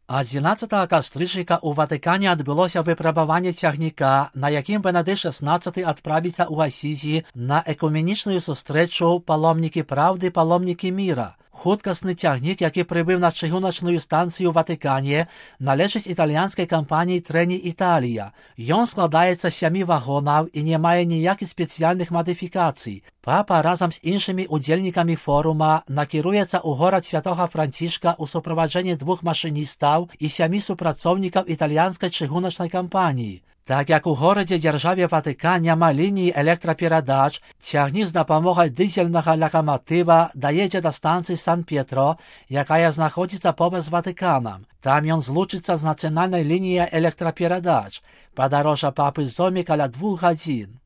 11 кастрычніка ў Ватыкане адбылося выпрабаванне цягніка, на якім Бенедыкт XVI адправіцца ў Асізі на экуменічную сустрэчу «Паломнікі правды, паломнікі міра». Хуткасны цягнік, які прыбыў на чыгуначную станцыю ў Ватыкане, належыць італьянскай кампаніі «Трені Італія». Ён складаецца з 7 вагонаў і не мае ніякіх спецыяльных мадыфікацый. Папа разам з іншымі удзельнікамі форума накіруецца ў горад Святога Францішка ў суправаджэнні 2 машыністаў і 7 супрацоўнікаў італьянскай чыгуначнай кампаніі. Так як у горадзе-дзяржаве Ватыкан няма лініі электраперадач, цягнік з дапамогай дызельнага лакаматыва даедзе да станцыі Сан-П'етро, якая знаходзіцца побач з Ватыканам. Там ён злучыцца з нацыянальнай лініяй электраперадач. Падарожжа папы зойме каля 2 гадзін.